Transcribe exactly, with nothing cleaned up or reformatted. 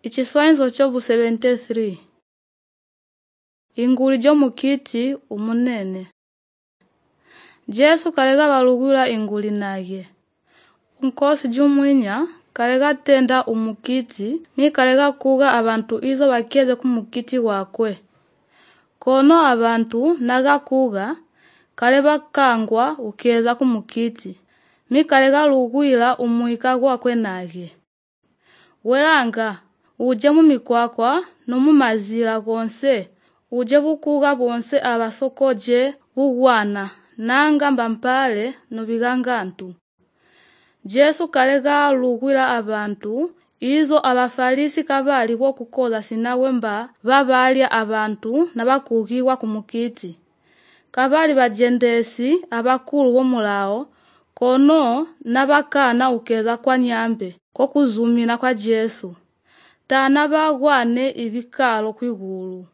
Ichiswanyizo chobu seventy-three. Inguli jomukiti umunene. Jesu kalega balugula inguli naye. Unkosi jumwinya kalega tenda umukiti mi kalega kuga abantu izo bakeze kumukiti wakwe. Kono abantu naga kuga kaleba kangwa ukeza kumukiti mi kalega lugwila umuika wakwe naye. Welanga uje mumikwakwa no mumazira gonse uje bukuga bonse abasokoje bugwana nanga mbampale no bigangantu. Jesu kalega lugwila abantu izo abafarisi kabali bo kukola sinawe mba babalya abantu nabakugiwa kumukiti. Kabali bajendesi abakulu bomulao kono nabakana ukeza kwa nyambe ko kuzumina kwa Jesu. Tana bagwane ibikalo kwigulu.